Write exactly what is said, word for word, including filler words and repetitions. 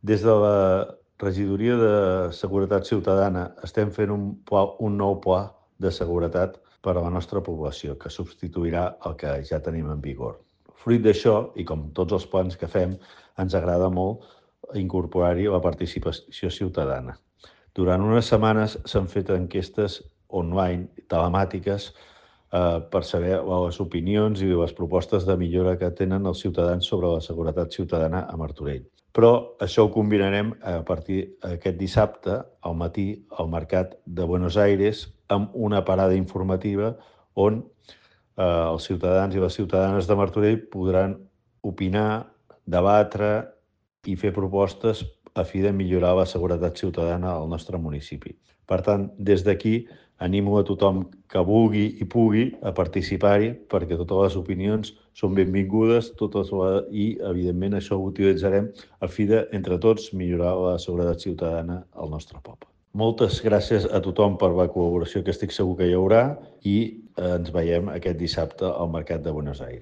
Des de la Regidoria de Seguretat Ciutadana estem fent un, pla, un nou pla de seguretat per a la nostra població, que substituirà el que ja tenim en vigor. Fruit d'això, i com tots els plans que fem, ens agrada molt incorporar-hi la participació ciutadana. Durant unes setmanes s'han fet enquestes online, telemàtiques, eh, per saber les opinions i les propostes de millora que tenen els ciutadans sobre la seguretat ciutadana a Martorell. Però això ho combinarem a partir d'aquest dissabte, al matí, al Mercat de Buenos Aires, amb una parada informativa on eh, els ciutadans i les ciutadanes de Martorell podran opinar, debatre i fer propostes a fi de millorar la seguretat ciutadana al nostre municipi. Per tant, des d'aquí animo a tothom que vulgui i pugui a participar-hi, perquè totes les opinions són benvingudes totes la... i, evidentment, això ho utilitzarem a fi de, entre tots, millorar la seguretat ciutadana al nostre poble. Moltes gràcies a tothom per la col·laboració que estic segur que hi haurà i ens veiem aquest dissabte al Mercat de Buenos Aires.